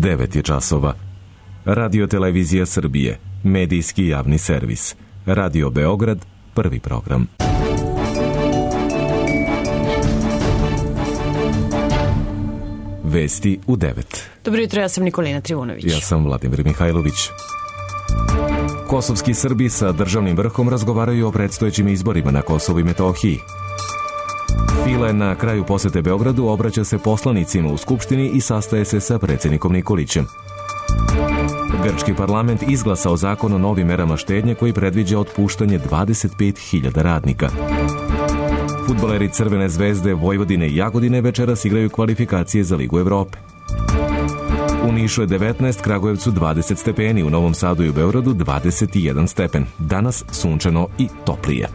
9 je časova. Radio Televizija Srbije, medijski javni servis. Radio Beograd, prvi program. Vesti u 9. Dobro jutro, ja sam Nikolina Trivunović. Ja sam Vladimir Mihajlović. Kosovski Srbi sa državnim vrhom razgovaraju o predstojećim izborima na Kosovu i Metohiji. File na kraju posete Beogradu obraća se poslanicima u Skupštini i sastaje se sa predsjednikom Nikolićem. Grčki parlament izglasao zakon o novim merama štednje koji predviđa otpuštanje 25.000 radnika. Fudbaleri Crvene zvezde, Vojvodine i Jagodine večeras igraju kvalifikacije za Ligu Evrope. U Nišu je 19, Kragujevcu 20 stepeni, u Novom Sadu i u Beogradu 21 stepen. Danas sunčano i toplije.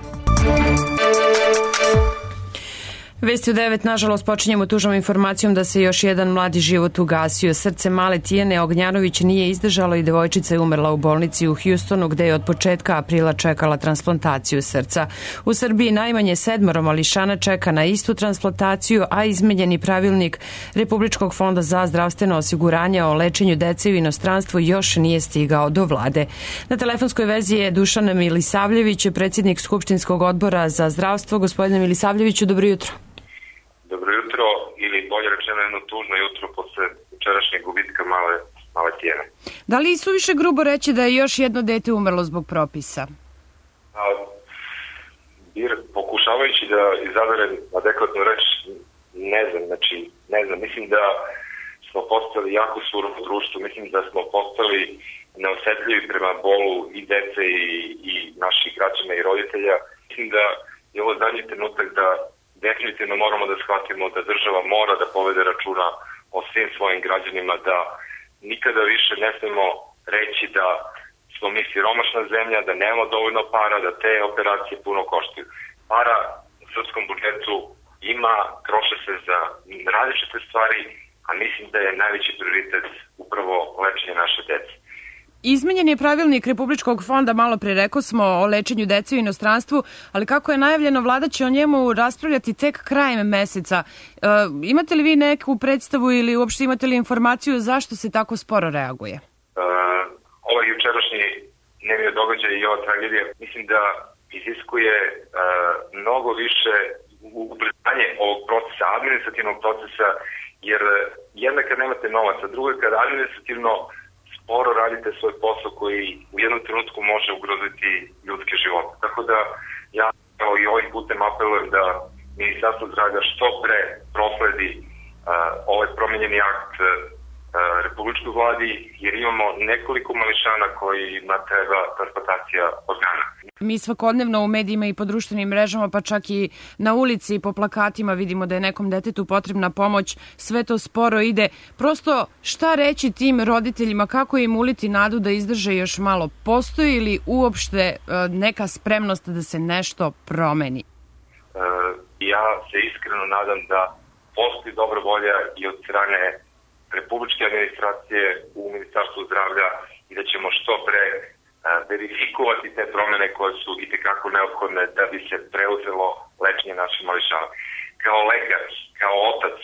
Vesti u 9, nažalost, počinjemo tužnom informacijom da se još jedan mladi život ugasio. Srce male Tijane Ognjanović nije izdržalo i devojčica je umrla u bolnici u Hjustonu, gde je od početka aprila čekala transplantaciju srca. U Srbiji najmanje 7 mališana čeka na istu transplantaciju, a izmenjeni pravilnik Republičkog fonda za zdravstveno osiguranje o lečenju dece u inostranstvu još nije stigao do vlade. Na telefonskoj vezi je Dušan Milisavljević, predsjednik Skupštinskog odbora za zdravstvo. Gospodine Milisavljeviću, dobro jutro. Dobro jutro, ili bolje rečeno jedno tužno jutro posle včerašnjeg gubitka male Tijene. Da li je suviše grubo reći da je još jedno dete umrlo zbog propisa? Pokušavajući da izaberem adekvatnu reč, ne znam, mislim da smo postali jako surovo društvo, mislim da smo postali neosetljivi prema bolu i dece i naših građana i roditelja. Mislim da je ovo zadnji trenutak da definitivno moramo da shvatimo da država mora da povede računa o svim svojim građanima, da nikada više ne smemo reći da smo mi siromašna zemlja, da nemamo dovoljno para, da te operacije puno koštaju. Para u srpskom budžetu ima, troše se za različite stvari, a mislim da je najveći prioritet upravo lečenje naše dece. Izmenjen je pravilnik Republičkog fonda, malo pre rekao smo, o lečenju dece u inostranstvu, ali kako je najavljeno, vlada će o njemu raspravljati tek krajem meseca. Imate li vi neku predstavu ili uopšte imate li informaciju zašto se tako sporo reaguje? Ovaj jučerašnji dnevni događaj i ova tragedija mislim da iziskuje mnogo više ubrzanje ovog procesa, administrativnog procesa, jer jedna kad nemate novaca, druga kad administrativno sporo radite svoj posao koji u jednom trenutku može ugroziti ljudske živote. Tako da ja kao i ovim putem apelujem da Ministarstvo zdravlja što pre prosledi ovaj promenjeni akt Republičkoj vladi, jer imamo nekoliko mališana kojima treba transplantacija organa. Mi svakodnevno u medijima i po društvenim mrežama, pa čak i na ulici i po plakatima vidimo da je nekom detetu potrebna pomoć, sve to sporo ide. Prosto šta reći tim roditeljima, kako im uliti nadu da izdrže još malo? Postoji li uopšte neka spremnost da se nešto promeni? Ja se iskreno nadam da postoji dobra volja i od strane republičke administracije u Ministarstvu zdravlja i da ćemo što pre verifikovati te promene koje su itekako neophodne da bi se preuzelo lečenje naših mališana. Kao lekar, kao otac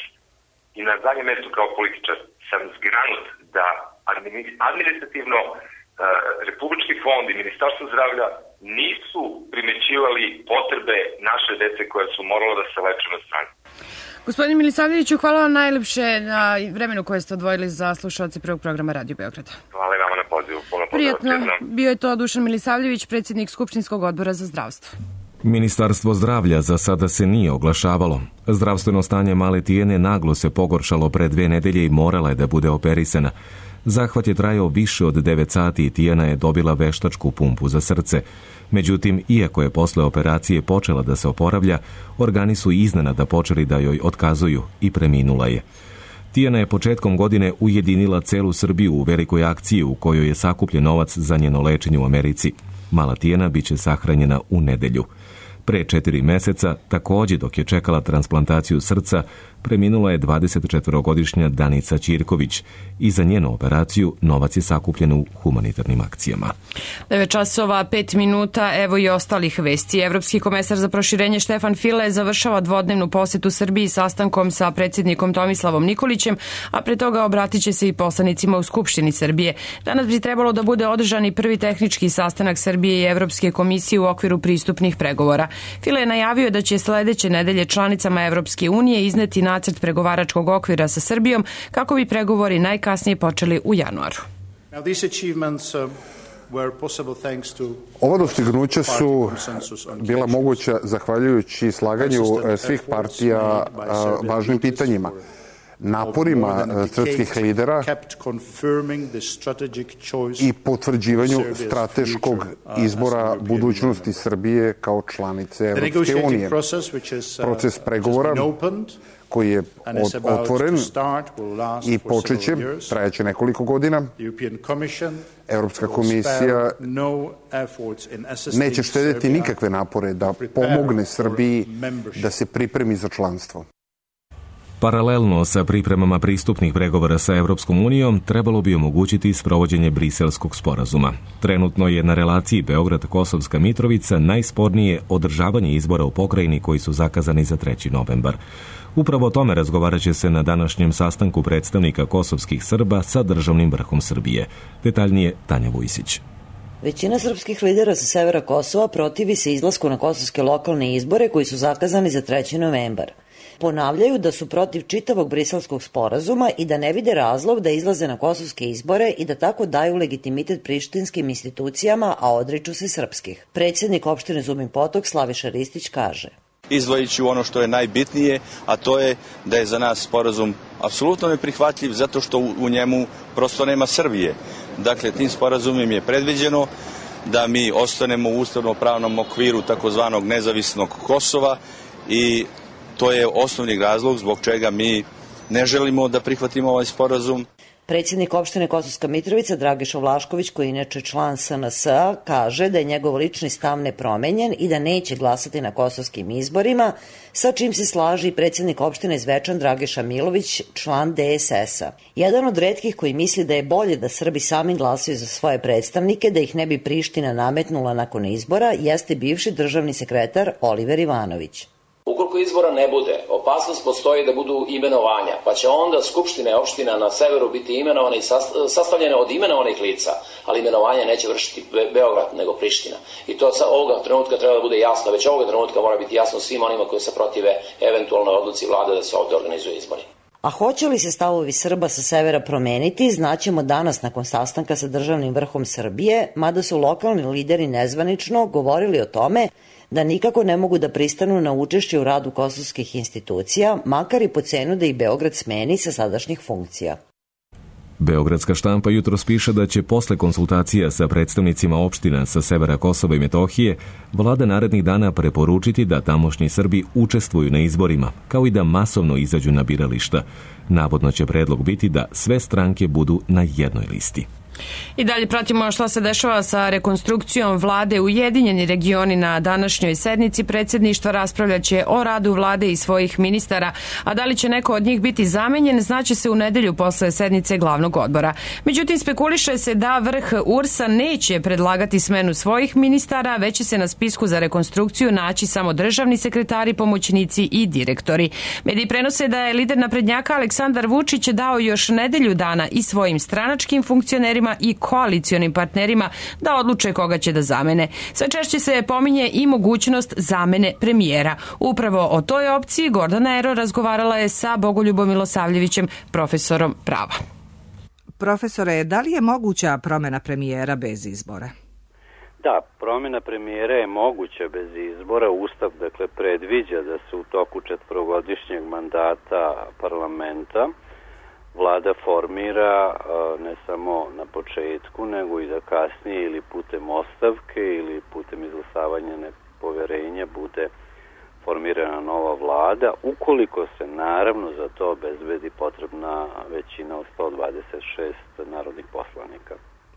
i na zadnjem mestu kao političar sam zgranut da administrativno Republički fond i Ministarstvo zdravlja nisu primećivali potrebe naše dece koja su morala da se leče na strani. Gospodine Milisavljeviću, hvala vam najlepše na vremenu koje ste odvojili za slušalce prvog programa Radio Beograda. Hvala i vama na pozivu. Prijatno, bio je to Dušan Milisavljević, predsjednik Skupštinskog odbora za zdravstvo. Ministarstvo zdravlja za sada se nije oglašavalo. Zdravstveno stanje male Tijene naglo se pogoršalo pre 2 nedelje i morala je da bude operisana. Zahvat je trajao više od 9 sati i Tijana je dobila veštačku pumpu za srce. Međutim, iako je posle operacije počela da se oporavlja, organi su iznenada počeli da joj otkazuju i preminula je. Tijana je početkom godine ujedinila celu Srbiju u velikoj akciji u kojoj je sakupljen novac za njeno lečenje u Americi. Mala Tijana biće sahranjena u nedelju. Pre 4 meseca, takođe dok je čekala transplantaciju srca, preminula je 24-godišnja Danica Ćirković i za njenu operaciju novac je sakupljen u humanitarnim akcijama. 9 časova, 5 minuta, evo i ostalih vesti. Evropski komesar za proširenje Štefan File završava dvodnevnu posetu Srbiji sastankom sa predsjednikom Tomislavom Nikolićem, a pre toga obratit će se i poslanicima u Skupštini Srbije. Danas bi trebalo da bude održan i prvi tehnički sastanak Srbije i Evropske komisije u okviru pristupnih pregovora. File je najavio da će sledeće nedelje članicama Evropske unije izneti nacrt pregovaračkog okvira sa Srbijom kako bi pregovori najkasnije počeli u januaru. Ova dostignuća su bila moguća zahvaljujući slaganju svih partija važnim pitanjima, naporima srpskih lidera i potvrđivanju strateškog izbora budućnosti Srbije kao članice Evropske unije. Proces pregovora koji je otvoren i počeće, trajaće nekoliko godina. Evropska komisija neće štedjeti nikakve napore da pomogne Srbiji da se pripremi za članstvo. Paralelno sa pripremama pristupnih pregovora sa Evropskom unijom trebalo bi omogućiti sprovođenje Briselskog sporazuma. Trenutno je na relaciji Beograd-Kosovska Mitrovica najspornije održavanje izbora u pokrajini koji su zakazani za 3. novembar. Upravo o tome razgovarat će se na današnjem sastanku predstavnika kosovskih Srba sa državnim vrhom Srbije. Detaljnije Tanja Vujsić. Većina srpskih lidera sa severa Kosova protivi se izlasku na kosovske lokalne izbore koji su zakazani za 3. novembar. Ponavljaju da su protiv čitavog Briselskog sporazuma i da ne vide razlog da izlaze na kosovske izbore i da tako daju legitimitet prištinskim institucijama, a odriču se srpskih. Predsjednik opštine Zubin Potok Slaviša Ristić kaže: Izdvojit ću ono što je najbitnije, a to je da je za nas sporazum apsolutno neprihvatljiv zato što u njemu prosto nema Srbije. Dakle, tim sporazumom je predviđeno da mi ostanemo u ustavno-pravnom okviru takozvanog nezavisnog Kosova i to je osnovni razlog zbog čega mi ne želimo da prihvatimo ovaj sporazum. Predsjednik opštine Kosovska Mitrovica Dragiša Vlašković, koji je inače član SNS-a, kaže da je njegov lični stav nepromenjen i da neće glasati na kosovskim izborima, sa čim se slaži i predsjednik opštine Zvečan Dragiša Milović, član DSS-a. Jedan od retkih koji misli da je bolje da Srbi sami glasaju za svoje predstavnike, da ih ne bi Priština nametnula nakon izbora, jeste bivši državni sekretar Oliver Ivanović. Ukoliko izbora ne bude, opasnost postoji da budu imenovanja, pa će onda skupštine opština na severu biti imenovane i sastavljene od imenovanih lica, ali imenovanje neće vršiti Beograd nego Priština. I to sa ovoga trenutka treba da bude jasno, već ovoga trenutka mora biti jasno svim onima koji se protive eventualnoj odluci vlade da se ovde organizuju izbori. A hoće li se stavovi Srba sa severa promeniti, znaćemo danas nakon sastanka sa državnim vrhom Srbije, mada su lokalni lideri nezvanično govorili o tome da nikako ne mogu da pristanu na učešće u radu kosovskih institucija, makar i po cenu da ih Beograd smeni sa sadašnjih funkcija. Beogradska štampa jutros piše da će posle konsultacija sa predstavnicima opština sa severa Kosova i Metohije vlada narednih dana preporučiti da tamošnji Srbi učestvuju na izborima, kao i da masovno izađu na birališta. Navodno će predlog biti da sve stranke budu na jednoj listi. I dalje pratimo šta se dešava sa rekonstrukcijom vlade. Ujedinjeni regioni na današnjoj sednici predsjedništva raspravljaće o radu vlade i svojih ministara, a da li će neko od njih biti zamenjen znaće se u nedelju posle sednice glavnog odbora. Međutim, spekuliše se da vrh URS-a neće predlagati smenu svojih ministara, već će se na spisku za rekonstrukciju naći samo državni sekretari, pomoćnici i direktori. Mediji prenose da je lider naprednjaka Aleksandar Vučić dao još nedelju dana i svojim stranačkim funkcionerima i koalicionim partnerima da odluče koga će da zamene. Sve češće se pominje i mogućnost zamene premijera. Upravo o toj opciji Gordana Ero razgovarala je sa Bogoljubom Milosavljevićem, profesorom prava. Profesore, da li je moguća promjena premijera bez izbora? Da, promjena premijera je moguća bez izbora. Ustav predviđa da se u toku 4-godišnjeg mandata parlamenta vlada formira ne samo na početku, nego i da kasnije ili putem ostavke ili putem izglasavanja nepoverenja bude formirana nova vlada, ukoliko se naravno za to obezbedi potrebna većina od 126 narodnih poslanika.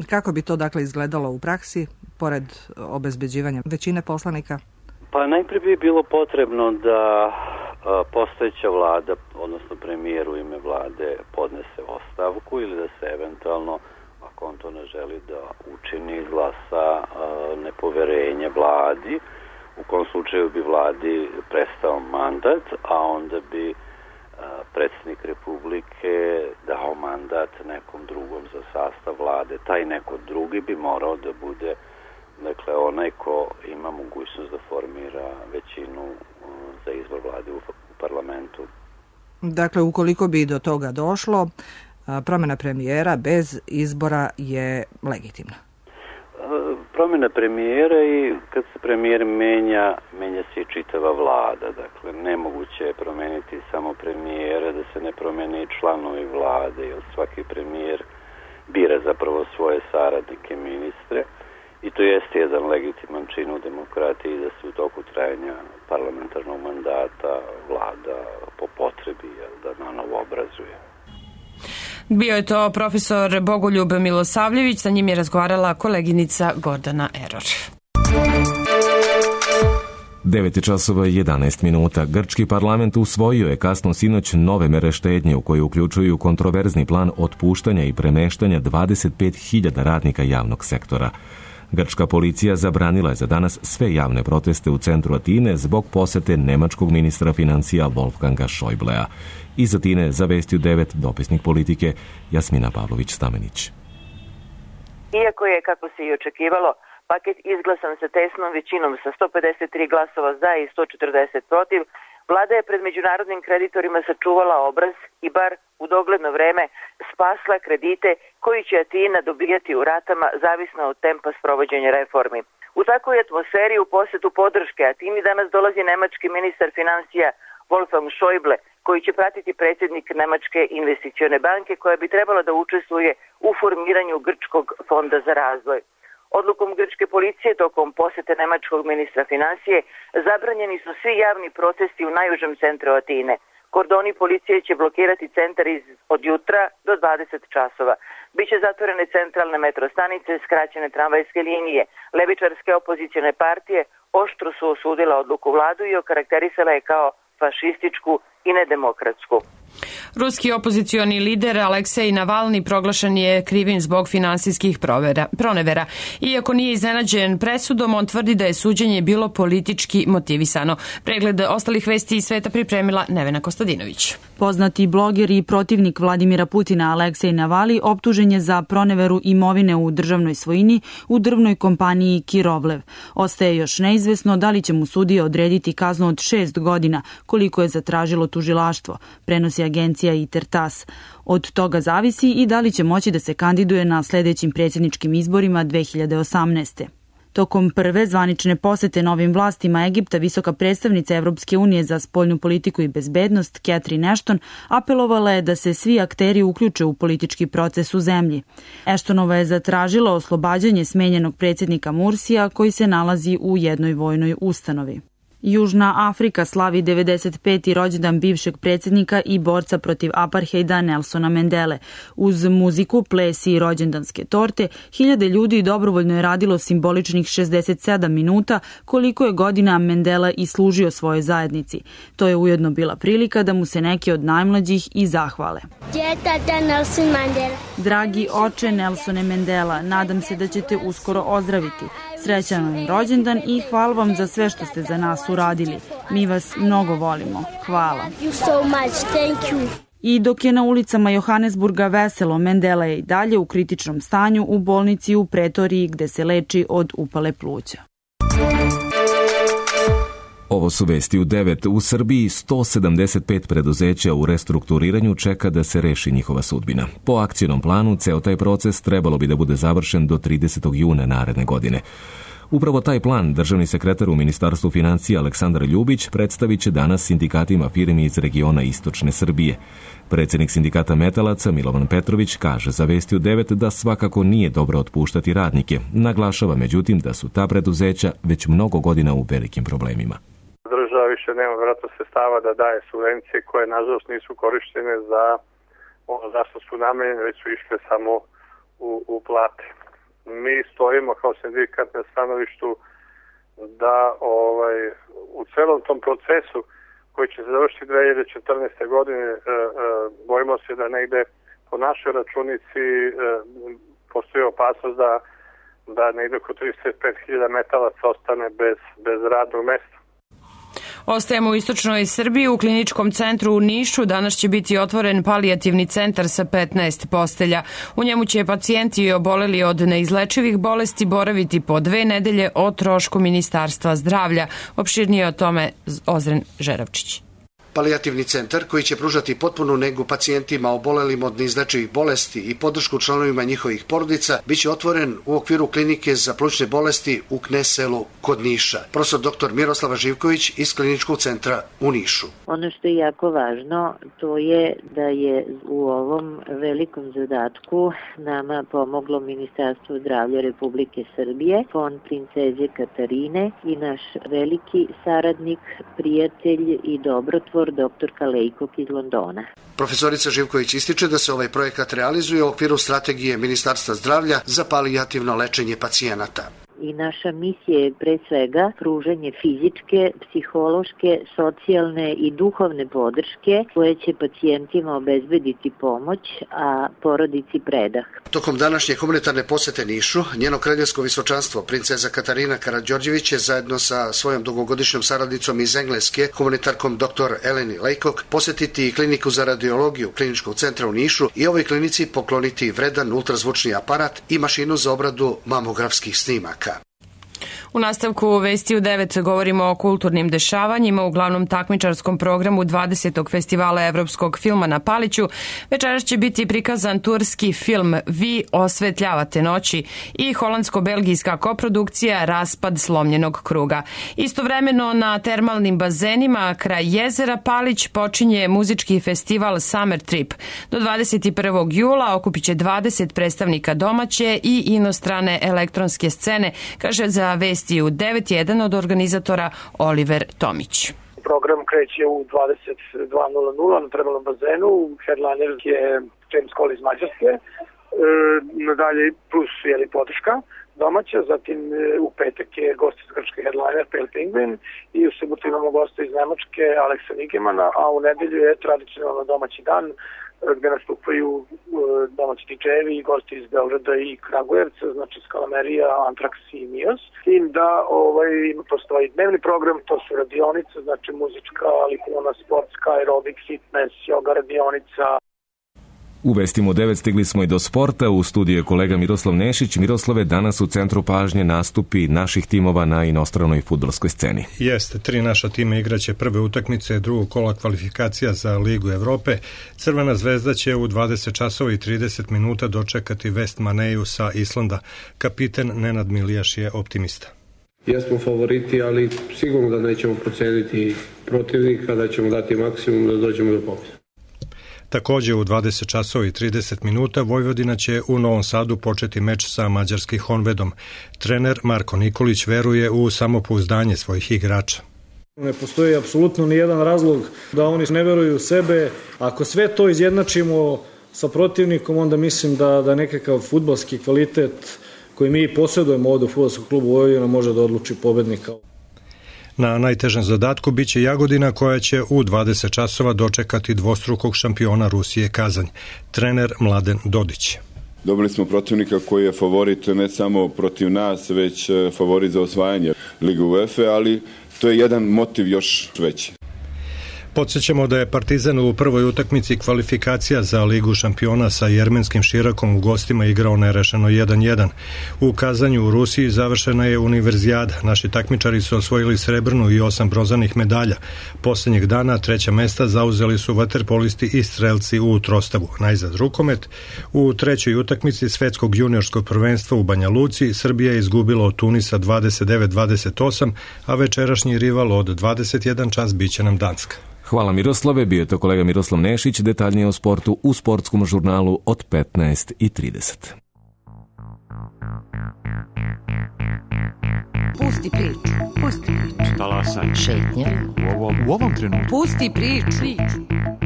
Kako bi to izgledalo u praksi, pored obezbeđivanja većine poslanika? Pa najprije bi bilo potrebno da postojeća vlada, odnosno premijer u ime vlade, podnese ostavku ili da se eventualno, ako on to ne želi da učini, izglasa nepoverenje vladi. U kom slučaju bi vladi prestao mandat, a onda bi predsjednik Republike dao mandat nekom drugom za sastav vlade. Taj neko drugi bi morao da bude, dakle, onaj ko ima mogućnost da formira većinu za izbor vlade u parlamentu. Dakle, ukoliko bi do toga došlo, promjena premijera bez izbora je legitimna. Promjena premijera i kad se premijer menja se i čitava vlada. Dakle, nemoguće je promeniti samo premijera, da se ne promene i članovi vlade, jer svaki premijer bira zapravo svoje saradnike, ministre. I to jeste jedan legitiman čin u demokratiji da se u toku trajanja parlamentarnog mandata vlada po potrebi da nanovo obrazuje. Bio je to profesor Bogoljub Milosavljević, sa njim je razgovarala koleginica Gordana Eror. 9:11. Grčki parlament usvojio je kasno sinoć nove mere štednje u koje uključuju kontroverzni plan otpuštanja i premeštanja 25.000 radnika javnog sektora. Grčka policija zabranila je za danas sve javne proteste u centru Atine zbog posete nemačkog ministra financija Wolfganga Schäublea. Iz Atine za Vesti 9 dopisnik politike Jasmina Pavlović-Stamenić. Iako je, kako se i očekivalo, paket izglasan sa tesnom većinom sa 153 glasova za i 140 protiv, vlada je pred međunarodnim kreditorima sačuvala obraz i bar u dogledno vreme spasla kredite koji će Atina dobijati u ratama zavisno od tempa sprovođenja reformi. U takvoj atmosferi u posetu podrške Atini danas dolazi nemački ministar financija Wolfgang Schäuble, koji će pratiti predsjednik Nemačke investicione banke koja bi trebala da učestvuje u formiranju Grčkog fonda za razvoj. Odlukom grčke policije tokom posete nemačkog ministra financije zabranjeni su svi javni protesti u najužem centru Atine. Kordoni policije će blokirati centar od jutra do 20 časova. Biće zatvorene centralne metro stanice, skraćene tramvajske linije. Levičarske opozicione partije oštro su osudila odluku vladu i okarakterisala je kao fašističku i nedemokratsku. Ruski opozicioni lider Aleksej Navalni proglašen je krivim zbog finansijskih pronevera. Iako nije iznenađen presudom, on tvrdi da je suđenje bilo politički motivisano. Pregled ostalih vesti iz sveta pripremila Nevena Kostadinović. Poznati bloger i protivnik Vladimira Putina Aleksej Navalni optužen je za proneveru imovine u državnoj svojini u drvnoj kompaniji Kirovlev. Ostaje još neizvesno da li će mu sudija odrediti kaznu od 6 godina, koliko je zatražilo tužilaštvo, prenosi agencija ITER-TASS. Od toga zavisi i da li će moći da se kandiduje na sljedećim predsjedničkim izborima 2018. Tokom prve zvanične posete novim vlastima Egipta, visoka predstavnica Evropske unije za spoljnu politiku i bezbednost, Catherine Ashton, apelovala je da se svi akteri uključe u politički proces u zemlji. Ashtonova je zatražila oslobađanje smenjenog predsjednika Mursija koji se nalazi u jednoj vojnoj ustanovi. Južna Afrika slavi 95. rođendan bivšeg predsjednika i borca protiv apartheida Nelsona Mandele. Uz muziku, ples i rođendanske torte, hiljade ljudi dobrovoljno je radilo simboličnih 67 minuta koliko je godina Mandela i služio svojoj zajednici. To je ujedno bila prilika da mu se neki od najmlađih i zahvale. Dragi oče Nelsone Mandela, nadam se da ćete uskoro ozdraviti. Srećan vam rođendan i hvala vam za sve što ste za nas uradili. Mi vas mnogo volimo. Hvala. I dok je na ulicama Johannesburga veselo, Mandela je i dalje u kritičnom stanju u bolnici u Pretoriji gde se leči od upale pluća. Ovo su vesti u 9. U Srbiji 175 preduzeća u restrukturiranju čeka da se reši njihova sudbina. Po akcijnom planu, ceo taj proces trebalo bi da bude završen do 30. juna naredne godine. Upravo taj plan državni sekretar u Ministarstvu financija Aleksandar Ljubić predstavit će danas sindikatima firmi iz regiona Istočne Srbije. Predsjednik sindikata metalaca Milovan Petrović kaže za Vesti u 9 da svakako nije dobro otpuštati radnike. Naglašava međutim da su ta preduzeća već mnogo godina u velikim problemima. Država više nema vjerojatno sredstava da daje subvencije koje nažalost nisu korištene za ono zašto su namenjene, već su išle samo u plate. Mi stojimo kao sindikat na stanovištu da u celom tom procesu koji će se završiti 2014. godine, bojimo se da negde po našoj računici postoji opasnost da negde oko 35.000 metalaca ostane bez radnog mesta. Ostajemo u istočnoj Srbiji. U kliničkom centru u Nišu danas će biti otvoren palijativni centar sa 15 postelja. U njemu će pacijenti oboleli od neizlečivih bolesti boraviti po 2 nedelje o trošku Ministarstva zdravlja. Opširnije o tome Ozren Žeravčić. Palijativni centar koji će pružati potpunu negu pacijentima obolelim od neizlečivih bolesti i podršku članovima njihovih porodica biće otvoren u okviru klinike za plućne bolesti u Knes selu kod Niša. Profesor dr. Miroslava Živković iz kliničkog centra u Nišu. Ono što je jako važno, to je da je u ovom velikom zadatku nama pomoglo Ministarstvo zdravlja Republike Srbije, Fond princeze Katarine i naš veliki saradnik, prijatelj i dobrotvor dr. Kalejkog iz Londona. Profesorica Živković ističe da se ovaj projekat realizuje u okviru strategije Ministarstva zdravlja za palijativno lečenje pacijenata. I naša misija je pre svega pružanje fizičke, psihološke, socijalne i duhovne podrške koje će pacijentima obezbediti pomoć, a porodici predah. Tokom današnje humanitarne posete Nišu, njeno kraljevsko visočanstvo, princeza Katarina Karađorđević je zajedno sa svojom dugogodišnjom saradnicom iz Engleske, humanitarkom dr. Eleni Lejkok, posetiti kliniku za radiologiju kliničkog centra u Nišu i ovoj klinici pokloniti vredan ultrazvučni aparat i mašinu za obradu mamografskih snimaka. U nastavku Vesti u 9 govorimo o kulturnim dešavanjima u glavnom takmičarskom programu 20. festivala evropskog filma na Paliću. Večeras će biti prikazan turski film Vi osvetljavate noći i holandsko-belgijska koprodukcija Raspad slomljenog kruga. Istovremeno na termalnim bazenima kraj jezera Palić počinje muzički festival Summer Trip. Do 21. jula okupit će 20 predstavnika domaće i inostrane elektronske scene, kaže za Vesti u 9.1 od organizatora Oliver Tomić. Program kreće u 22.00 na termalnom bazenu. Headliner je James Cole iz Mađarske. Nadalje plus podrška domaća, zatim u petak je gost iz Grčke headliner Pale Penguin i u subotu imamo gosta iz Nemačke Aleksa Nigemana, a u nedelju je tradicionalno domaći dan gde nastupaju domaći DJ-evi i gosti iz Beograda i Kragujevca, znači Skalamerija, Antrax i Mios. S tim da postoji dnevni program, to su radionice, znači muzička, likovna, sportska, aerobik, fitness, yoga radionica. U Vestima 9 stigli smo i do sporta. U studiju je kolega Miroslav Nešić. Miroslave, danas u centru pažnje nastupi naših timova na inostranoj fudbalskoj sceni. Jeste, 3 naša tima igraće prve utakmice drugog kola kvalifikacija za Ligu Evrope. Crvena zvezda će u 20 časova i 30 minuta dočekati West Maneju sa Islanda. Kapiten Nenad Milijaš je optimista. Jesmo favoriti, ali sigurno da nećemo proceniti protivnika, da ćemo dati maksimum da dođemo do pobjede. Također u 20 časova i 30 minuta Vojvodina će u Novom Sadu početi meč sa mađarskim Honvedom. Trener Marko Nikolić veruje u samopouzdanje svojih igrača. Ne postoji apsolutno nijedan razlog da oni ne veruju u sebe. Ako sve to izjednačimo sa protivnikom, onda mislim da nekakav fudbalski kvalitet koji mi posjedujemo ovdje u fudbalskom klubu Vojvodina može da odluči pobednika. Na najtežem zadatku biće Jagodina koja će u 20 časova dočekati dvostrukog šampiona Rusije Kazanj. Trener Mladen Dodić. Dobili smo protivnika koji je favorit ne samo protiv nas, već favorit za osvajanje Lige UEFA, ali to je jedan motiv još veći. Podsjećamo da je Partizan u prvoj utakmici kvalifikacija za Ligu šampiona sa jermenskim Širakom u gostima igrao nerešeno 1-1. U Kazanju u Rusiji završena je univerzijada. Naši takmičari su osvojili srebrnu i 8 bronzanih medalja. Posljednjeg dana 3. mesta zauzeli su vaterpolisti i strelci u Trostavu. Najzad rukomet. U trećoj utakmici svetskog juniorskog prvenstva u Banja Luci Srbija je izgubila od Tunisa 29-28, a večerašnji rival od 21 čas biće nam Danska. Hvala Miroslave, bio je to kolega Miroslav Nešić, detaljnije o sportu u sportskom žurnalu od 15:30. Pusti priču, pusti priču. Talasaj. Šetnja. U ovom trenutku. Pusti priču.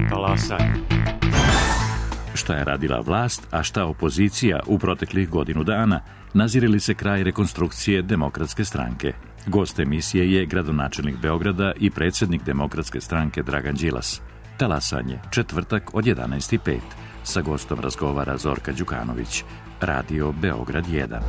Talasaj. Šta je radila vlast, a šta opozicija u proteklih godinu dana, nazire li se kraj rekonstrukcije Demokratske stranke? Gost emisije je gradonačelnik Beograda i predsjednik Demokratske stranke Dragan Đilas. Talasanje, četvrtak od 11:05. Sa gostom razgovara Zorka Đukanović. Radio Beograd 1.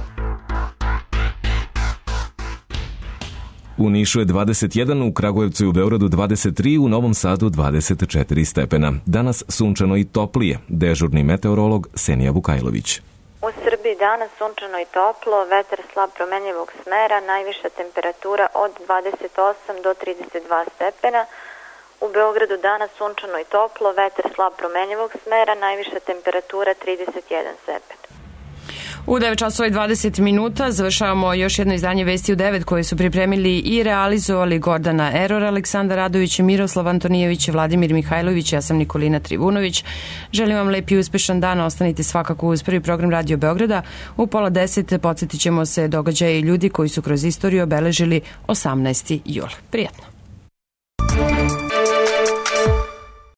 U Nišu je 21, u Kragujevcu i u Beogradu 23, u Novom Sadu 24 stepena. Danas sunčano i toplije. Dežurni meteorolog Senija Vukajlović. U Srbiji danas sunčano i toplo, vetar slab promenljivog smera, najviša temperatura od 28 do 32 stepena. U Beogradu danas sunčano i toplo, vetar slab promenljivog smera, najviša temperatura 31 stepen. U 9 časova i 20 minuta završavamo još jedno izdanje Vesti u 9 koje su pripremili i realizovali Gordana Eror, Aleksandar Radović, Miroslav Antonijević, Vladimir Mihajlović, ja sam Nikolina Trivunović. Želim vam lep i uspešan dan, ostanite svakako uz prvi program Radio Beograda. U 9:30 podsjetit ćemo se događaje i ljudi koji su kroz istoriju obeležili 18. jul. Prijatno.